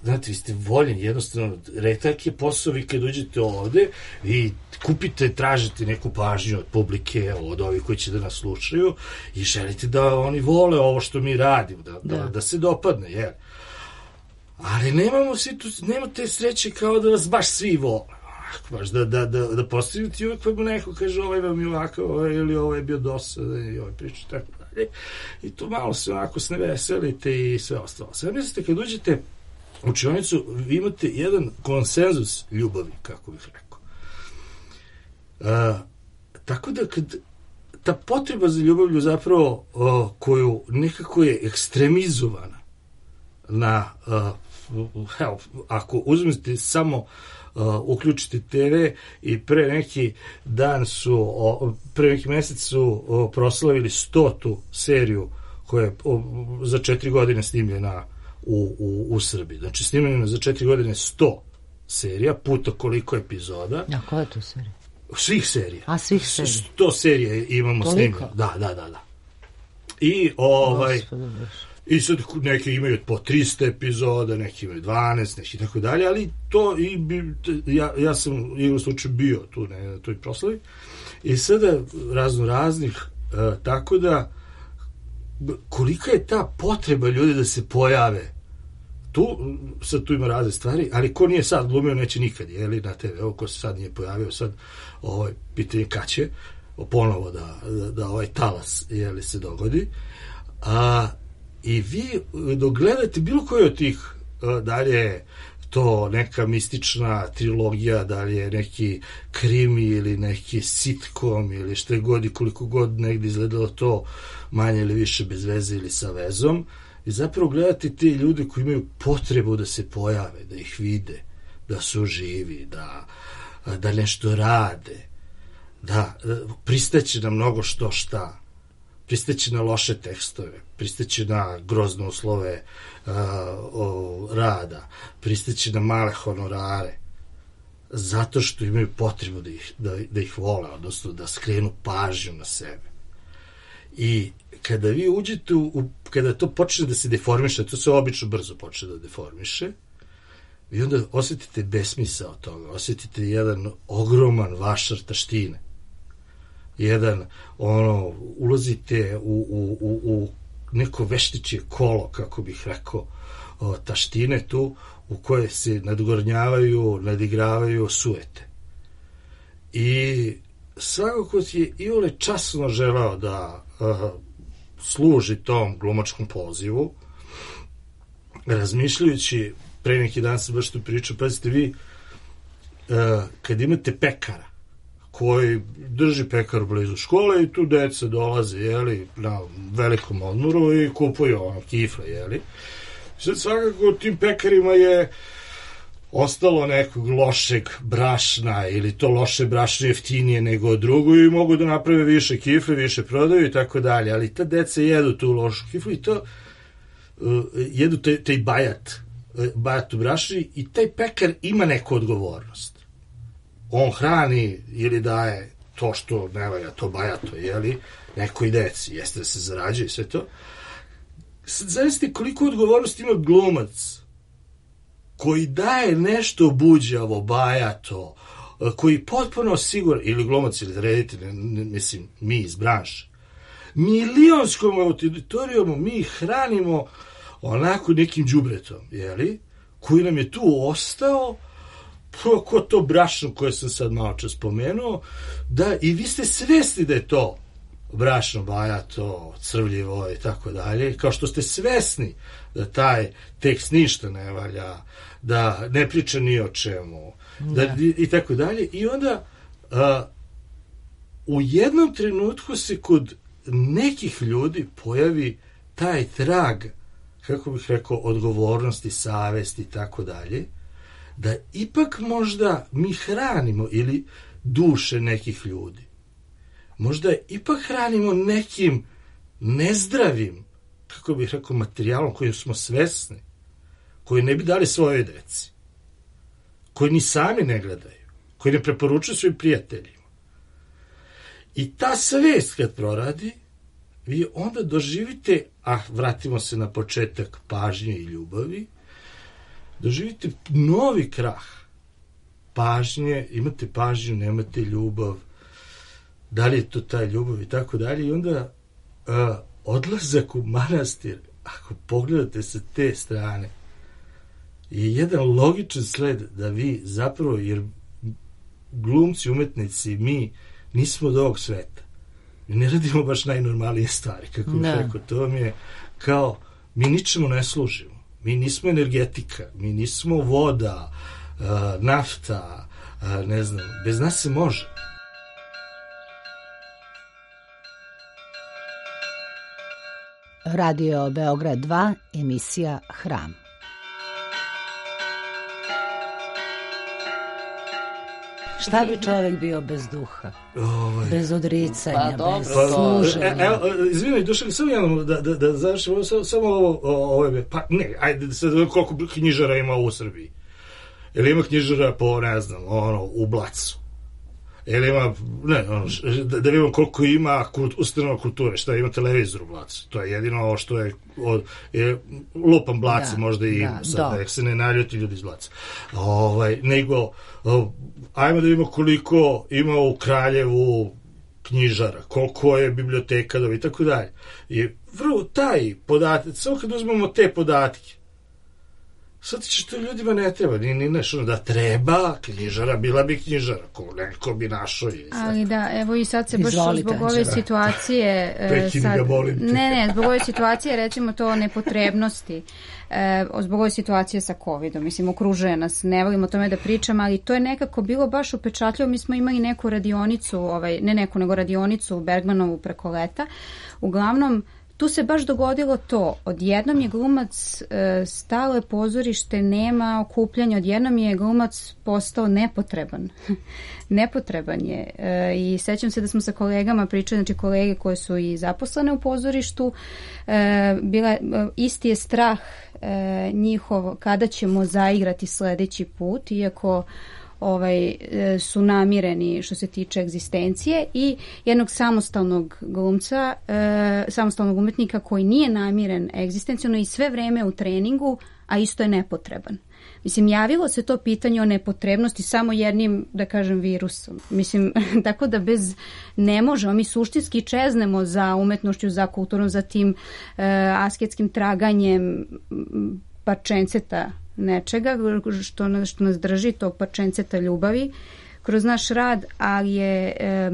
Znate, vi ste voljeni, jednostavno, retak je posao, vi kad uđete ovde, vi kupite, tražite neku pažnju od publike, od ovih koji će da nas slušaju i želite da oni vole ovo što mi radimo, da, da. da, da se dopadne, jer. Ali nemamo situ, nema te sreće kao da vas baš svi vole. Baš da, da, da, da postavite i uvijek vam neko kaže ovaj vam je ovako, ovaj, ili ovaj je bio dosadan i ovaj priča, tako dalje. I to malo se onako s neveselite i sve ostalo. Sve mislite, kad uđete u učionicu, vi imate jedan konsenzus ljubavi, kako bih rekao. A, tako da kad ta potreba za ljubavlju zapravo o, koju nekako je ekstremizovana na, a, evo, ako uzmete samo Uh, uključite te ve i pre neki dan su, o, pre neki mesec su o, proslavili stotu seriju koja je o, za četiri godine snimljena u, u, u Srbiji. Znači snimljena za četiri godine sto serija, puta koliko epizoda. A koja je to serija? Svih serija. A svih serija? sto serija imamo snimljeno. Da, da, da, da. I ovaj... I sad neki imaju po trista epizoda, neki imaju dvanaest, neki tako dalje, ali to i bi, ja, ja sam igrom slučaju bio tu ne, na toj proslavi. I sada razno raznih, uh, tako da kolika je ta potreba ljudi da se pojave tu, sad tu ima razne stvari, ali ko nije sad glumio neće nikad, jeli, na te ve, evo ko se sad nije pojavio, sad ovaj, pitanje kad će ponovo da, da, da ovaj talas jeli, se dogodi. A, i vi dok gledate bilo koji od tih a, dalje to neka mistična trilogija, dalje neki krimi ili neki sitcom ili što je god i koliko god negdje izgledalo to manje ili više bez veze ili sa vezom, i zapravo gledate te ljude koji imaju potrebu da se pojave, da ih vide, da su živi, da, da nešto rade, da pristaće na mnogo što šta, pristaće na loše tekstove, pristaće na grozne uslove uh, o, rada, pristaće na male honorare, zato što imaju potrebu da ih, da, da ih vole, odnosno da skrenu pažnju na sebe. I kada vi uđete u, u, kada to počne da se deformiše, to se obično brzo počne da deformiše, vi onda osjetite besmisao toga, osjetite jedan ogroman vašar taštine. Jedan, ono, ulazite u, u, u, u neko veštičje kolo, kako bih rekao, o, taštine tu, u koje se nadgornjavaju, nadigravaju sujete. I svako ko je iole časno želeo da a, služi tom glumačkom pozivu, razmišljajući, pre neki dan sam baš tu pričao, pazite vi, a, kad imate pekara, koji drži pekaru blizu škole i tu deca dolaze, jeli, na velikom odmoru i kupuju ono kifle, jeli. Sad svakako tim pekarima je ostalo nekog lošeg brašna ili to loše brašno jeftinije nego drugo i mogu da naprave više kifle, više prodaju i tako dalje, ali ta deca jedu tu lošu kiflu i to uh, jedu taj, taj bajat, uh, bajat u brašni i taj pekar ima neku odgovornost. On hrani ili daje to što ne valja, to bajato, jeli, nekoj deci, jeste da se zarađuje i sve to. Sad zavisite koliko odgovornosti ima glumac koji daje nešto buđavo, bajato, koji potpuno siguran, ili glumac ili reditelj, mislim, mi iz branše, milionskom auditorijom mi hranimo onako nekim đubretom, jeli, koji nam je tu ostao, ko to brašno koje sam sad malo čas spomenuo, da i vi ste svesni da je to brašno, bajato, crvljivo i tako dalje, kao što ste svesni da taj tekst ništa ne valja, da ne priča ni o čemu, da, i, i tako dalje. I onda a, u jednom trenutku se kod nekih ljudi pojavi taj trag, kako bih rekao, odgovornosti, savesti i tako dalje, da ipak možda mi hranimo ili duše nekih ljudi. Možda ipak hranimo nekim nezdravim, kako bih rekao, materijalom kojim smo svesni, koji ne bi dali svoje deci, koji ni sami ne gledaju, koji ne preporučuju svojim prijateljima. I ta svest kad proradi, vi onda doživite, a vratimo se na početak pažnje i ljubavi, doživite novi krah pažnje, imate pažnju, nemate ljubav, da li je to ta ljubav i tako dalje, i onda uh, odlazak u manastir, ako pogledate sa te strane, je jedan logičan sled da vi zapravo, jer glumci, umetnici, mi nismo od ovog sveta. Mi ne radimo baš najnormalnije stvari, kako bih rekao, to vam je kao, mi ničemu ne služimo. Mi nismo energetika, mi nismo voda, uh, nafta, uh, ne znam, bez nas se može. Radio Beograd dva, emisija Hram. Šta bi čovjek bio bez duha? Ovaj. Bez odricanja, pa, bez služenja. Evo, izvinaj, Dušan, samo jednom da, da, da završimo, samo, samo ovo, ovo, pa ne, ajde, sad koliko knjižara ima u Srbiji. Ili ima knjižara po, ne znam, ono, u Blacu. Ili ima, ne, ono, da, da vidimo koliko ima kult, ustanova kulture, šta ima televizor u Blacu. To je jedino ovo što je, od, je lupan Blac, da, možda i da, sad, da se ne naljuti ljudi iz Blaca. Ovaj, nego, o, ajmo da vidimo koliko ima u Kraljevu knjižara, koliko je biblioteka i tako dalje. I vrlo taj podatak, samo kad uzmemo te podatke, sad će to ljudima ne treba, ni, ni nešto da treba, knjižara, bila bi knjižara, ko neko bi našao. Ali da, evo i sad se baš Izvolite, zbog ove situacije... Prekini sad, ga, molim te. Ne, ne, zbog ove situacije, recimo to nepotrebnosti, e, zbog ove situacije sa covidom, mislim, okružuje nas, ne volim o tome da pričam, ali to je nekako bilo baš upečatljivo, mi smo imali neku radionicu, ovaj, ne neku, nego radionicu u Bergmanovu preko leta, uglavnom, tu se baš dogodilo to, odjednom je glumac, e, stalo je pozorište, nema okupljanja, odjednom je glumac postao nepotreban. Nepotreban je. E, I sećam se da smo sa kolegama pričali, znači kolege koje su i zaposlene u pozorištu, e, bila, e, isti je strah e, njihov kada ćemo zaigrati sledeći put, iako ovaj, su namireni što se tiče egzistencije, i jednog samostalnog glumca, e, samostalnog umetnika koji nije namiren egzistenciono i sve vreme u treningu, a isto je nepotreban. Mislim, javilo se to pitanje o nepotrebnosti samo jednim, da kažem, virusom. Mislim, tako da bez ne možemo, mi suštinski čeznemo za umetnošću, za kulturom, za tim e, asketskim traganjem parčenceta nečega što nas, što nas drži, to parčenceta ljubavi kroz naš rad, ali je e,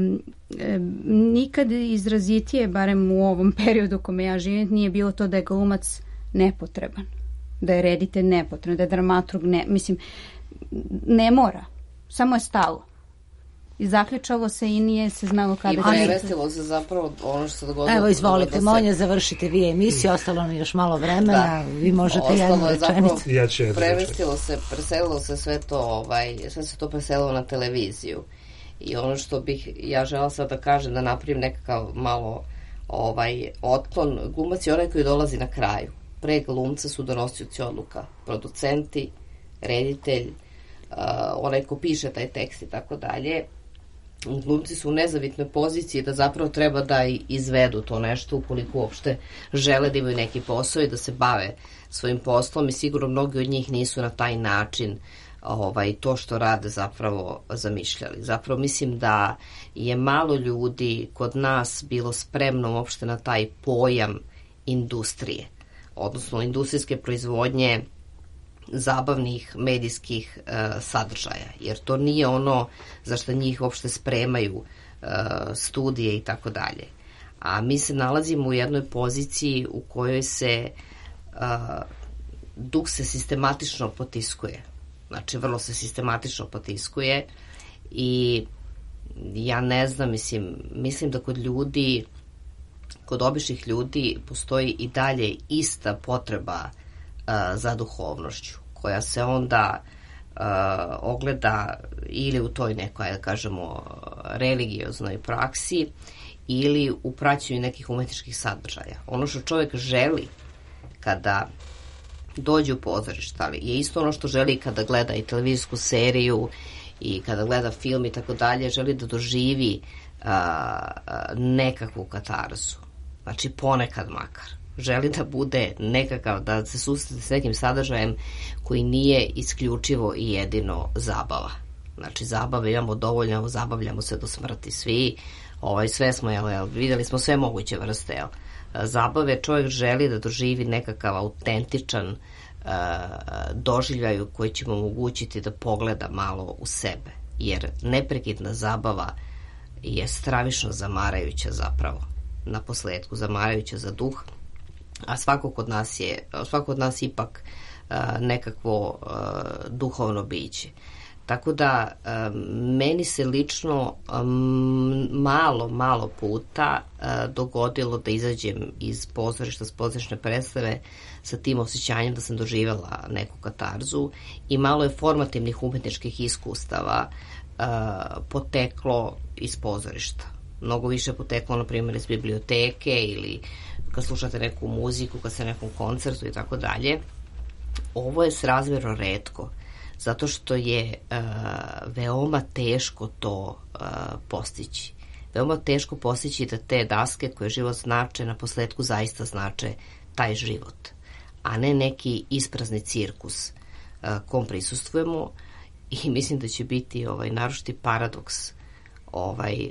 e, nikad izrazitije, barem u ovom periodu u kome ja živim, nije bilo to da je glumac nepotreban, da je reditelj nepotreban, da je dramaturg ne, mislim, ne mora, samo je stalo. I zaključalo se i nije se znalo kada... I prevestilo se zapravo ono što se dogodilo... Evo, izvolite, da se... Monja, završite vi emisiju, ostalo nam još malo vremena, da. Vi možete jednu rečenicu. Ja ću jednu prevestilo se, preselilo se sve to, ovaj, sve se to preselilo na televiziju. I ono što bih ja žela sad da kažem, da napravim nekakav malo ovaj, otklon, glumac je onaj koji dolazi na kraju. Pre glumca su donosioci odluka, producenti, reditelj, uh, onaj ko piše taj tekst i tako dalje. Glumci su u nezavidnoj poziciji da zapravo treba da izvedu to nešto ukoliko uopšte žele da imaju neki posao i da se bave svojim poslom, i sigurno mnogi od njih nisu na taj način ovaj, to što rade zapravo zamišljali. Zapravo mislim da je malo ljudi kod nas bilo spremno uopšte na taj pojam industrije, odnosno industrijske proizvodnje zabavnih medijskih uh, sadržaja, jer to nije ono za što njih uopšte spremaju uh, studije i tako dalje. A mi se nalazimo u jednoj poziciji u kojoj se uh, duh se sistematično potiskuje. Znači, vrlo se sistematično potiskuje i ja ne znam, mislim, mislim da kod ljudi, kod običnih ljudi postoji i dalje ista potreba za duhovnošću, koja se onda uh, ogleda ili u toj nekoj, da kažemo, religioznoj praksi ili u praćenju nekih umetničkih sadržaja. Ono što čovjek želi kada dođe u pozorište, ali je isto ono što želi kada gleda i televizijsku seriju i kada gleda film i tako dalje, želi da doživi uh, nekakvu katarzu. Znači, ponekad makar. Želi da bude nekakav, da se susrete s nekim sadržajem koji nije isključivo i jedino zabava. Znači, zabave imamo dovoljno, zabavljamo se do smrti svi, ovaj, sve smo, jel, jel, videli smo sve moguće vrste, jel. Zabave, čovjek želi da doživi nekakav autentičan uh, doživljaj koji će mu omogućiti da pogleda malo u sebe, jer neprekidna zabava je stravično zamarajuća zapravo, na posledku zamarajuća za duh, a svako kod nas je, svako od nas ipak uh, nekakvo uh, duhovno biće. Tako da um, meni se lično um, malo, malo puta uh, dogodilo da izađem iz pozorišta, s pozorišne predstave sa tim osjećanjem da sam doživjela neku katarzu, i malo je formativnih umetničkih iskustava uh, poteklo iz pozorišta. Mnogo više poteklo, na primjer, iz biblioteke ili kad slušate neku muziku, kad ste na nekom koncertu i tako dalje. Ovo je srazmjerno retko, zato što je uh, veoma teško to uh, postići. Veoma teško postići da te daske koje život znače, na posledku zaista znače taj život, a ne neki isprazni cirkus uh, kom prisustvujemo, i mislim da će biti ovaj naročiti paradoks ovaj,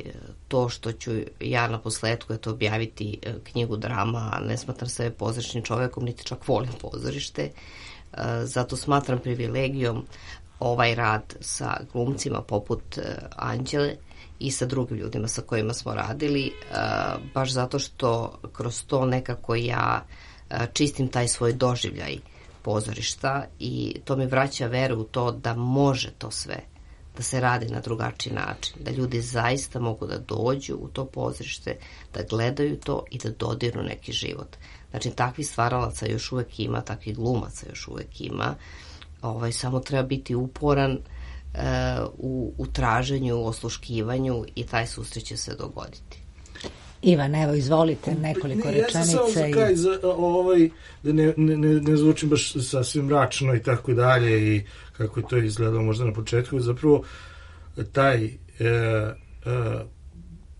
to što ću ja na posledku eto objaviti knjigu drama, ne smatram sebe pozorišnim čovekom, niti čak volim pozorište, zato smatram privilegijom ovaj rad sa glumcima poput Anđele i sa drugim ljudima sa kojima smo radili, baš zato što kroz to nekako ja čistim taj svoj doživljaj pozorišta i to mi vraća veru u to da može to sve, da se radi na drugačiji način, da ljudi zaista mogu da dođu u to pozorište, da gledaju to i da dodirnu neki život. Znači, takvih stvaralaca još uvek ima, takvih glumaca još uvek ima, ovaj, samo treba biti uporan uh, u, u traženju, osluškivanju i taj susret će se dogoditi. Ivan, evo, izvolite nekoliko ne, rečenica. Ja sam samo za kraj, i... za, ovaj, da ne, ne, ne zvučim baš sasvim mračno i tako dalje i kako je to izgledalo možda na početku, zapravo taj e, e,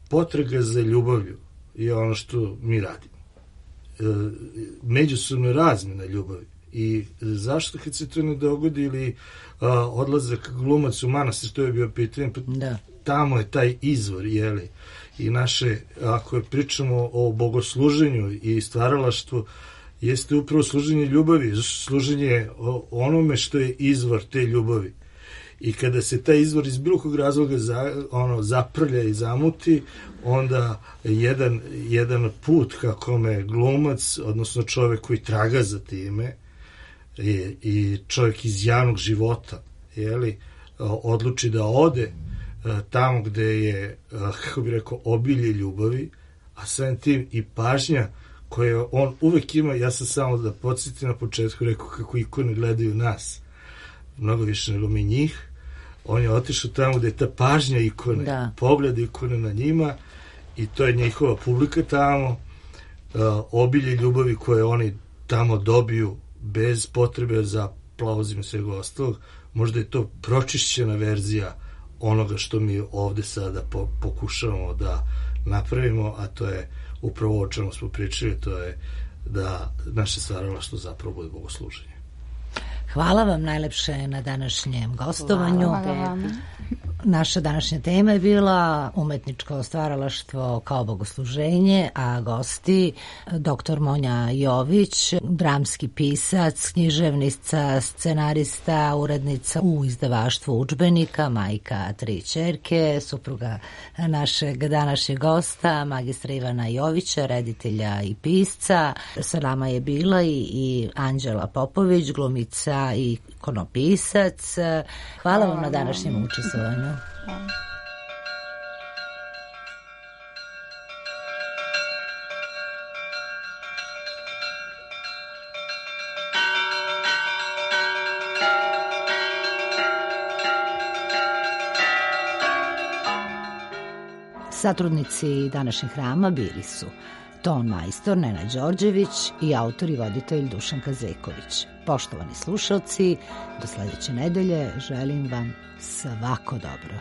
potraga za ljubavlju je ono što mi radimo. E, međusobno razmjena ljubavi. I zašto kad se to ne dogodi ili a, odlazak glumac u manastir, to je bio pitanje, pa da. Tamo je taj izvor, jeli? I naše, ako pričamo o bogosluženju i stvaralaštvu, jeste upravo služenje ljubavi, služenje onome što je izvor te ljubavi. I kada se taj izvor iz bilo kog razloga za, ono, zaprlja i zamuti, onda jedan, jedan put kako me glumac, odnosno čovek koji traga za time, i, i čovjek iz javnog života, jeli, odluči da ode tamo gde je, kako bi rekao, obilje ljubavi, a samim tim i pažnja koje on uvek ima. Ja sam samo da podsjetim na početku rekao kako ikone gledaju nas mnogo više nego mi njih. On je otišao tamo gde je ta pažnja ikone, da. Pogled ikone na njima i to je njihova publika tamo, obilje ljubavi koje oni tamo dobiju bez potrebe za aplauzima i svega ostalog. Možda je to pročišćena verzija onoga što mi ovde sada po, pokušavamo da napravimo, a to je upravo o čemu smo pričali, to je da naše stvaralaštvo zapravo bude bogosluženje. Hvala vam najlepše na današnjem gostovanju. Hvala vam. Naša današnja tema je bila umetničko stvaralaštvo kao bogosluženje, a gosti doktor Monja Jović, dramski pisac, književnica, scenarista, urednica u izdavaštvu udžbenika, majka tri ćerke, supruga našeg današnjeg gosta, magistra Ivana Jovića, reditelja i pisca. Sa nama je bila i, i Anđela Popović, glumica i ikonopisac. Hvala vam na današnjem učestvovanju. Satrudnici današnjeg hrama bili su ton majstor Nenad Đorđević i autor i voditelj Dušan Kazeković. Poštovani slušalci, do sledeće nedelje želim vam svako dobro.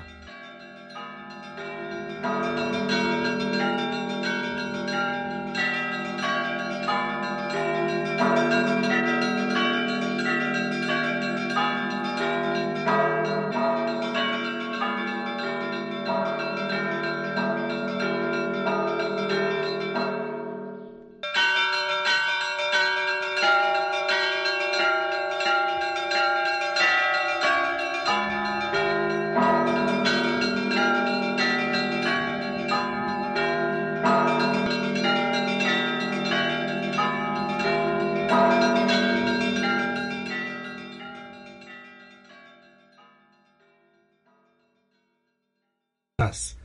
Nas.